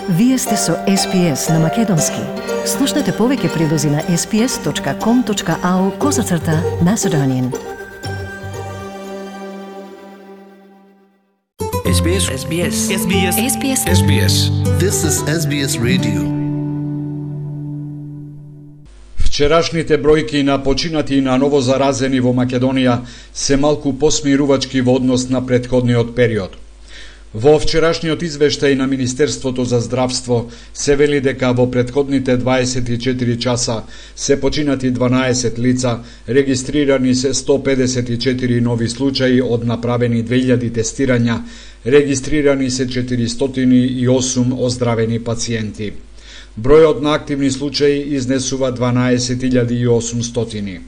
Вие сте со SPS на Македонски. Слушнете повеќе прилози на sps.com.au/Macedonian. SBS. SBS. SBS. SBS. SBS. This is SBS Radio. Вчерашните бројки на починати и на ново заразени во Македонија се малку посмирувачки во однос на претходниот период. Во вчерашниот извештај на Министерството за здравство се вели дека во претходните 24 часа се починати 12 лица, регистрирани се 154 нови случаи од направени 2000 тестирања, регистрирани се 408 оздравени пациенти. Бројот на активни случаи изнесува 12.800.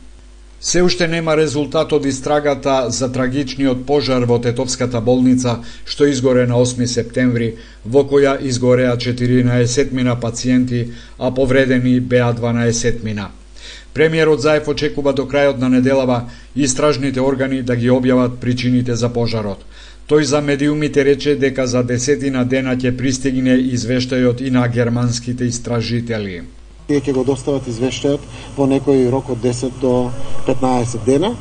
Се уште нема резултат од истрагата за трагичниот пожар во Тетовската болница, што изгоре на 8 септември, во која изгореа 14 пациенти, а повредени беа 12. Премиерот Заев очекува до крајот на неделава истражните органи да ги објават причините за пожарот. Тој за медиумите рече дека за 10 дена ќе пристигне извештајот и на германските истражители. Ќе го достават извештајот во некој рок од 10 до 15 дена,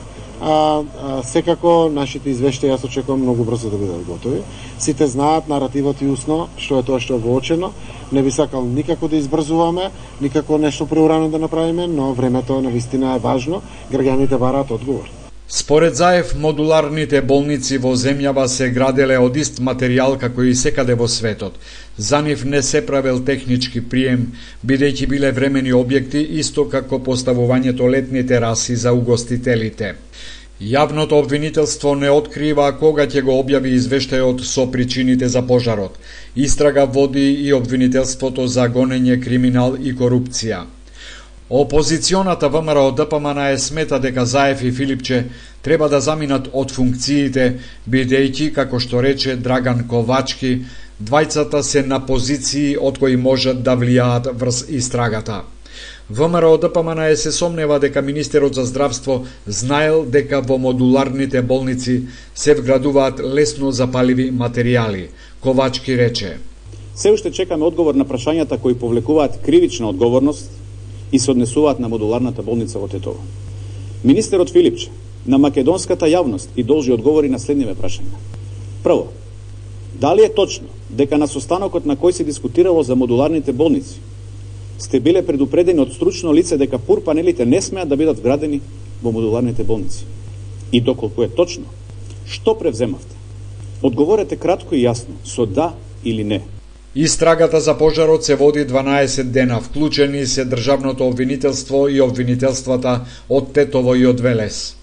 секако нашите извештаи јас очекувам многу брзо да бидат готови. Сите знаат наративот и усно, што е тоа што е воочено. Не би сакал никако да избрзуваме, никако нешто преурано да направиме, но времето навистина е важно, граѓаните бараат одговор. Според Заев, модуларните болници во земјава се граделе од ист материјал како и секаде во светот. За нив не се правел технички прием, бидејќи биле времени објекти, исто како поставувањето летни тераси за угостителите. Јавното обвинителство не открива кога ќе го објави извештајот со причините за пожарот. Истрага води и обвинителството за гонење, криминал и корупција. Опозиционата ВМРО-ДПМН смета дека Заев и Филипче треба да заминат од функциите, бидејќи, како што рече Драган Ковачки, двајцата се на позиции од кои можат да влијаат врз истрагата. ВМРО-ДПМН се сомнева дека министерот за здравство знаел дека во модуларните болници се вградуваат лесно запаливи материјали. Ковачки рече: Се уште чекаме одговор на прашањата кои повлекуваат кривична одговорност и се однесуваат на модуларната болница во Тетово. Министерот Филипче на македонската јавност и должи одговори на следниве прашања. Прво, дали е точно дека на состанокот на кој се дискутирало за модуларните болници сте биле предупредени од стручно лице дека ПУР панелите не смеат да бидат вградени во модуларните болници? И доколку е точно, што превземавте? Одговорете кратко и јасно, со да или не. Истрагата за пожарот се води 12 дена, вклучени се државното обвинителство и обвинителствата од Тетово и од Велес.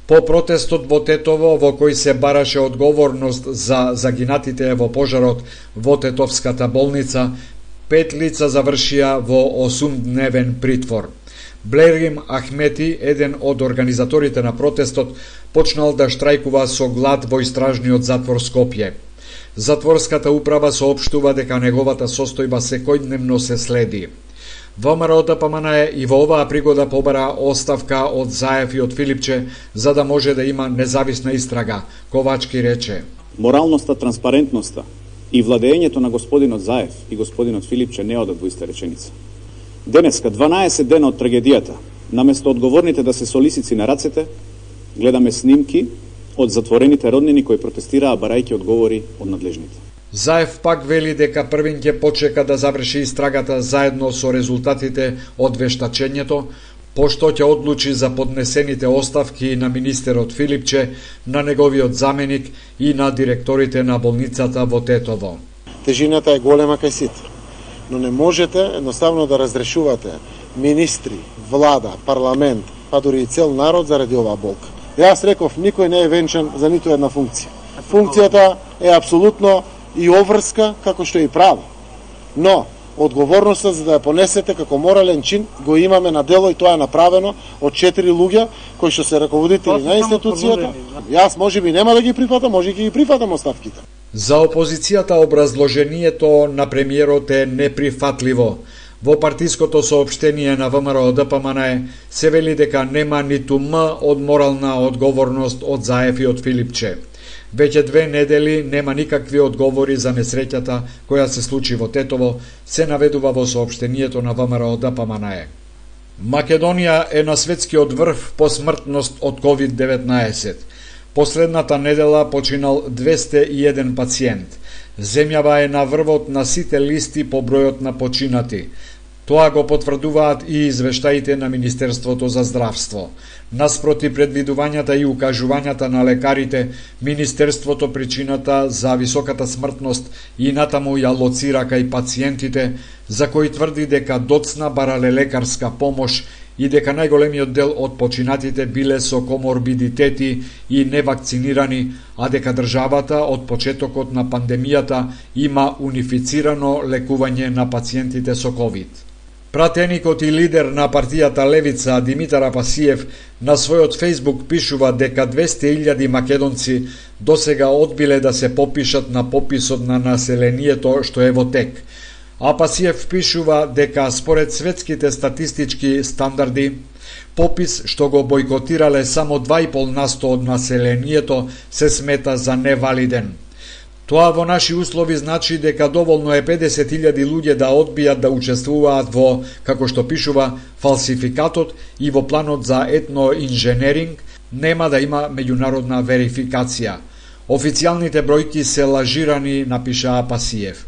По протестот во Тетово, во кој се бараше одговорност за загинатите во пожарот во Тетовската болница, 5 лица завршија во 8-дневен притвор. Блерим Ахмети, еден од организаторите на протестот, почнал да штрајкува со глад во истражниот затвор Скопје. Затворската управа соопштува дека неговата состојба секојдневно се следи. ВМРО-ДПМН и во оваа пригода побара оставка од Заев и од Филипче за да може да има независна истрага. Ковачки рече: Моралноста, транспарентноста и владењето на господинот Заев и господинот Филипче не одат во иста реченица. Денеска, 12 дена од трагедијата, наместо одговорните да се со лисици на рацете, гледаме снимки од затворените роднини кои протестираа барајќи одговори од надлежните. Заев пак вели дека првин ќе почека да заврши истрагата заедно со резултатите од вештачењето, пошто ќе одлучи за поднесените оставки на министерот Филипче, на неговиот заменик и на директорите на болницата во Тетово. Тежината е голема кај сите, но не можете едноставно да разрешувате министри, влада, парламент, па дури и цел народ заради оваа болка. Јас реков, никој не е венчан за ниту една функција. Функцијата е апсолутно и обврска, како што е и право. Но, одговорноста за да ја понесете како морален чин го имаме на дело и тоа е направено од 4 луѓе кои што се раководители на институцијата. Јас можеби нема да ги прифатам, може ќе ги прифатам оставките. За опозицијата образложението на премиерот е неприфатливо. Во партиското соопштение на ВМРО-ДПМН се вели дека нема ниту м од морална одговорност од Заев и од Филипче. Веќе 2 недели нема никакви одговори за несреќата која се случи во Тетово, се наведува во соопштението на ВМРО-ДПМНЕ. Македонија е на светскиот врв по смртност од COVID-19. Последната недела починал 201 пациент. Земјава е на врвот на сите листи по бројот на починати. Тоа го потврдуваат и извештаите на Министерството за здравство. Наспроти предвидувањата и укажувањата на лекарите, Министерството причината за високата смртност и натаму ја лоцира кај пациентите, за кои тврди дека доцна барале лекарска помош и дека најголемиот дел од починатите биле со коморбидитети и невакцинирани, а дека државата од почетокот на пандемијата има унифицирано лекување на пациентите со ковид. Пратеникот и лидер на партијата Левица Димитар Апасиев на својот Фејсбук пишува дека 200.000 македонци досега одбиле да се попишат на пописот на населението што е во тек. Апасиев пишува дека според светските статистички стандарди, попис што го бойкотирале само 2,5% од населението се смета за невалиден. Тоа во наши услови значи дека доволно е 50.000 луѓе да одбијат да учествуваат во, како што пишува, фалсификатот и во планот за етноинженеринг, нема да има меѓународна верификација. Официјалните бројки се лажирани, напиша Апасиев.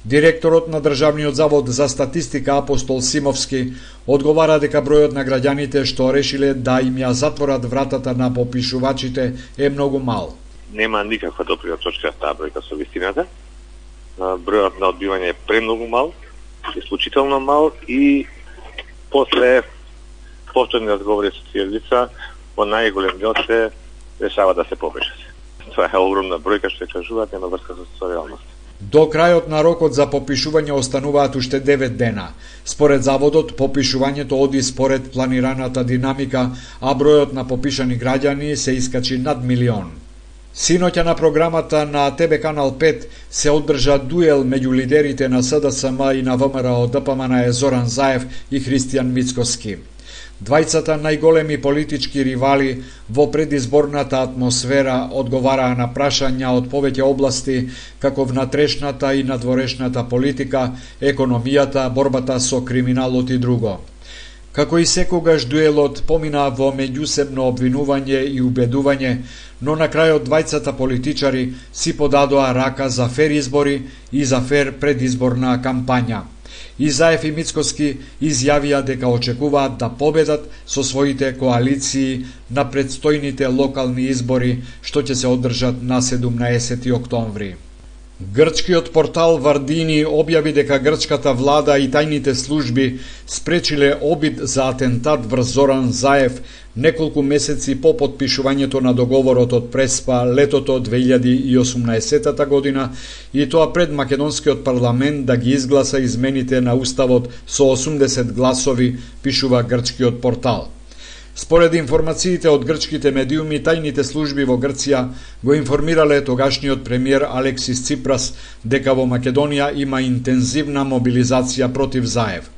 Директорот на Државниот завод за статистика Апостол Симовски одговара дека бројот на граѓаните што решиле да им ја затворат вратата на попишувачите е многу мал. Нема никаква допира точка таа бројка со вистината. Бројот на одбивање е премногу мал, исклучително мал и после повторни разговори со тие лица, во најголем дел се решава да се попишат. Тоа е огромна бројка што ја кажуваат, нема врска со реалност. До крајот на рокот за попишување остануваат уште 9 дена. Според заводот, попишувањето оди според планираната динамика, а бројот на попишани граѓани се искачи над 1 милион. Синоќа на програмата на ТВ Канал 5 се одржа дуел меѓу лидерите на СДСМ и на ВМРО-ДПМНЕ Зоран Заев и Христијан Мицкоски. Двајцата најголеми политички ривали во предизборната атмосфера одговараа на прашања од повеќе области, како внатрешната и надворешната политика, економијата, борбата со криминалот и друго. Како и секогаш дуелот помина во меѓусебно обвинување и убедување, но на крајот двајцата политичари си подадоа рака за фер избори и за фер предизборна кампања. И Заев и Мицкоски изјавија дека очекуваат да победат со своите коалиции на предстојните локални избори што ќе се одржат на 17 октомври. Грчкиот портал Вардини објави дека грчката влада и тајните служби спречиле обид за атентат врз Зоран Заев неколку месеци по потпишувањето на договорот од Преспа летото 2018 година и тоа пред македонскиот парламент да ги изгласа измените на уставот со 80 гласови, пишува грчкиот портал. Според информациите од грчките медиуми, тајните служби во Грција го информирале тогашниот премиер Алексис Ципрас дека во Македонија има интензивна мобилизација против Заев.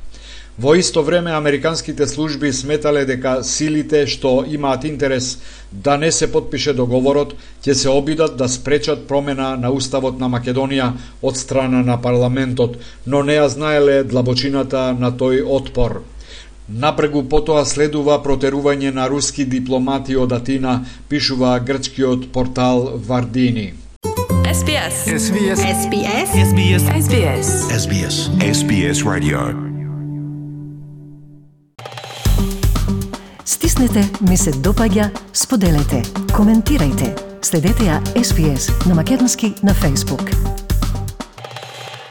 Во исто време, американските служби сметале дека силите што имаат интерес да не се потпише договорот ќе се обидат да спречат промена на уставот на Македонија од страна на парламентот, но не ја знаеле длабочината на тој отпор. Напрегу потоа следува протерување на руски дипломати од Атина, пишува грчкиот портал Вардини. SBS. SBS. SBS. SBS. SBS. SBS. SBS Radio. Стиснете, ми се допаѓа, споделете, коментирајте. Следете ја SBS на македонски на Facebook.